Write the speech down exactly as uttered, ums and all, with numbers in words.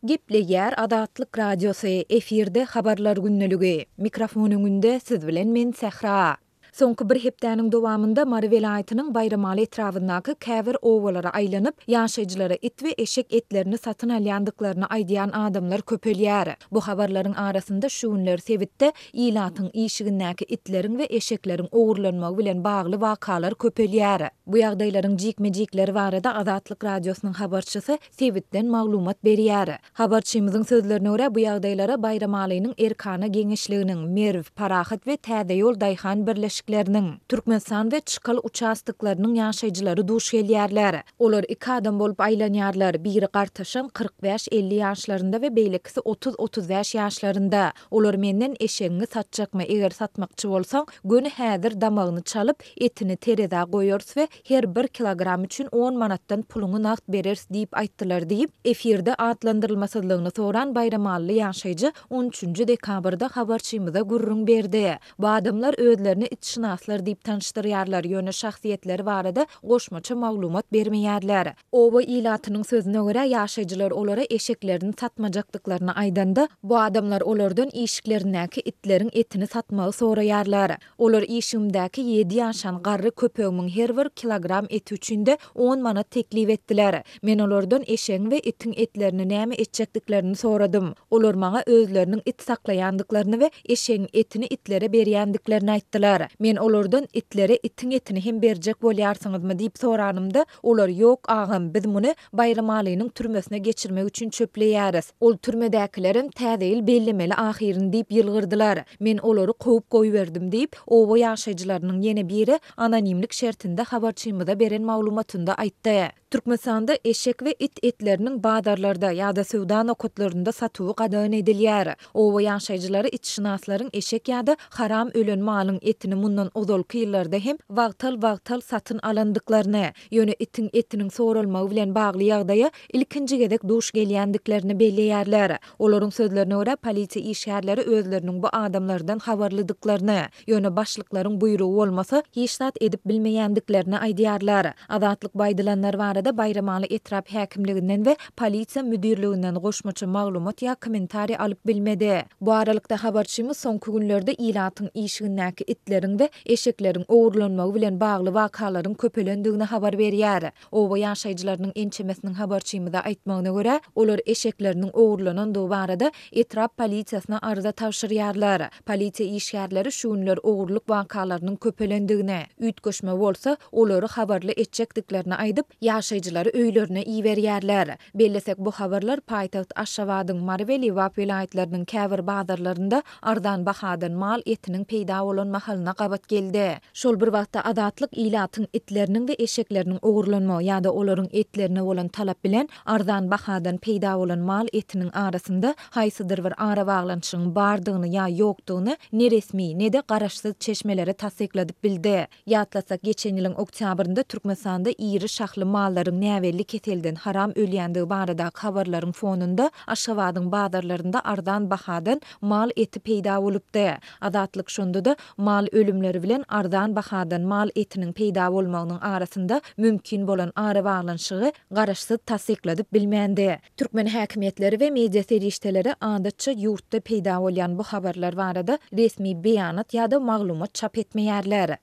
Gepleýär Azatlyk Radiosy, efirde Habarlar gündeligi. Mikrofon öňünde siz bilen men Sähra. Soňky bir hepdäniň dowamynda Mary welaýatynyň Baýramaly etrabyndaky käbir obalara aýlanyp, ýaşaýjylara it we eşek etlerini satyn alýandyklaryny aýdýan adamlar köpelýär. Bu habarlaryň arasynda şu günler sebitde ilatyň işigindäki itleriň we eşekleriň ogurlanmagy bilen bagly wakalar köpelýär. Bu ýagdaýlaryň jikme-jikleri barada Azatlyk Radiosynyň habarçysy sebitden maglumat berýär. Habarçymyzyň sözlerine görä, bu ýagdaýlara Baýramalynyň Erkana geňeşliginiň, Merw, Parahat we Täzeýol daýhan birleşikleriniň, Türkmenistan we Çykal uçastoklarynyň ýaşaýjylary duş gelýärler. Olar iki adam bolup aýlanýarlar, biri gartaşan kyrk bäş-elli ýaşlarynda we beýlekisi otuz-otuz bäş ýaşlarynda. Olar menden eşegiňi satjakmy, eger satmakçy bolsaň, göni häzir damagyny çalyp, etini terezä goýarys we her bir kilogram üçin on manatdan puluňy nagt bereris diýip aýtdylar diýip, efirde atlandyrylmasyzlygyny soran baýramalyly ýaşaýjy on üçünji dekabrda habarçymyza gürrüň berdi. Bu adamlar özlerini itşynaslar diýip tanyşdyrýarlar, ýöne şahsyýetleri barada goşmaça maglumat bermeýärler. Oba ilatynyň sözüne görä, ýaşaýjylar olara eşeklerini satmajakdyklaryny aýdanda, bu adamlar olardan işiklerindäki itleriň etini satmagy soraýarlar. Olar işigimdäki ýedi ýaşan garry köpegimiň her bir kilogram eti üçin-de on manat teklip etdiler. Men olardan eşegiň we itiň etlerini näme etjekdiklerini soradym. Olar maňa özleriniň it saklaýandyklaryny we eşegiň etini itlere berýändiklerini aýtdylar. Men olardan itlere itiň etini hem berjek bolýarsyňyzmy diýip soranymda, olar ýok agam, biz muny Baýramalynyň türmesine geçirmek üçin çöpleýäris. Ol türmedäkilerem täze ýyl bellemeli ahyryn diýip ýylgyrdylar. Men olary kowup goýberdim diýip, oba ýaşaýjylarynyň ýene biri anonimlik şertinde habarçymyza beren maglumatynda aýtdy. Türkmenistanda eşek we it etleriniň bazarlarda ýa-da söwda nokatlarynda satuwy gadagan edilýär. Oba ýaşaýjylary itşynaslaryň eşek ýa-da haram ölen malyň etini mundan ozalky ýyllarda hem wagtal-wagtal satyn alandyklaryny, ýöne itiň etiniň soralmagy bilen bagly ýagdaýa ilkinji gezek duş gelýändiklerini belleýärler. Olaryň sözlerine görä, polisiýa işgärleri özleriniň bu adamlardan habarlydyklaryny, ýöne başlyklaryň buýrugy bolmasa, hiç zat edip bilmeýändiklerini aýdýarlar. Azatlyk bu aýdylanlar barada Baýramaly etrap häkimliginden we polisiýa müdirliginden goşmaça maglumat ýa kommentariý alyp bilmedi. Bu aralykda habarçymyz soňky günlerde ilatyň işigindäki itleriň we eşekleriň ogurlanmagy bilen bagly wakalaryň köpelendigini habar berýär. Oba ýaşaýjylarynyň ençemesiniň habarçymyza aýtmagyna görä, olar eşekleriniň ogurlanandygy barada etrap polisiýasyna arza tabşyrýarlar. Polisiýa işgärleri şu günler ogurlyk wakalarynyň köpelendigini, üýtgeşme bolsa, olary habarly etjekdiklerini aýdyp, ýaşaýjylary öýlerine iberýärler. Bellesek, bu habarlar paýtagt Aşgabadyň, Mary we Lebap welaýatlarynyň käbir bazarlarynda arzan bahadan mal etiniň peýda bolan mahalyna gabat geldi. Şol bir wagtda Azatlyk ilatyň itleriniň we eşekleriniň ogurlanmagy ýa-da olaryň etlerine bolan talap bilen arzan bahadan peýda bolan mal etiniň arasynda haýsydyr bir arabaglanyşygyň bardygyny ýa ýokdugyny ne resmi, ne-de garaşsyz çeşmelere tassykladyp bildi. Ýatlasak, geçen ýylyň oktýabrynda Türkmenistanda iri şahly mallaryň näbelli keselden haram ölýändigi baradaky habarlaryň fonunda Aşgabadyň bazarlarynda arzan bahadan mal eti peýda bolupdy. Azatlyk şonda-da mal ölümleri bilen arzan bahadan mal etiniň peýda bolmagynyň arasynda mümkin bolan arabaglanyşygy garaşsyz tassykladyp bilmändi. Türkmen häkimiýetleri we media serişdeleri adatça ýurtda peýda bolýan bu habarlar barada resmi beýanat ýa-da maglumat çap etmeýärler.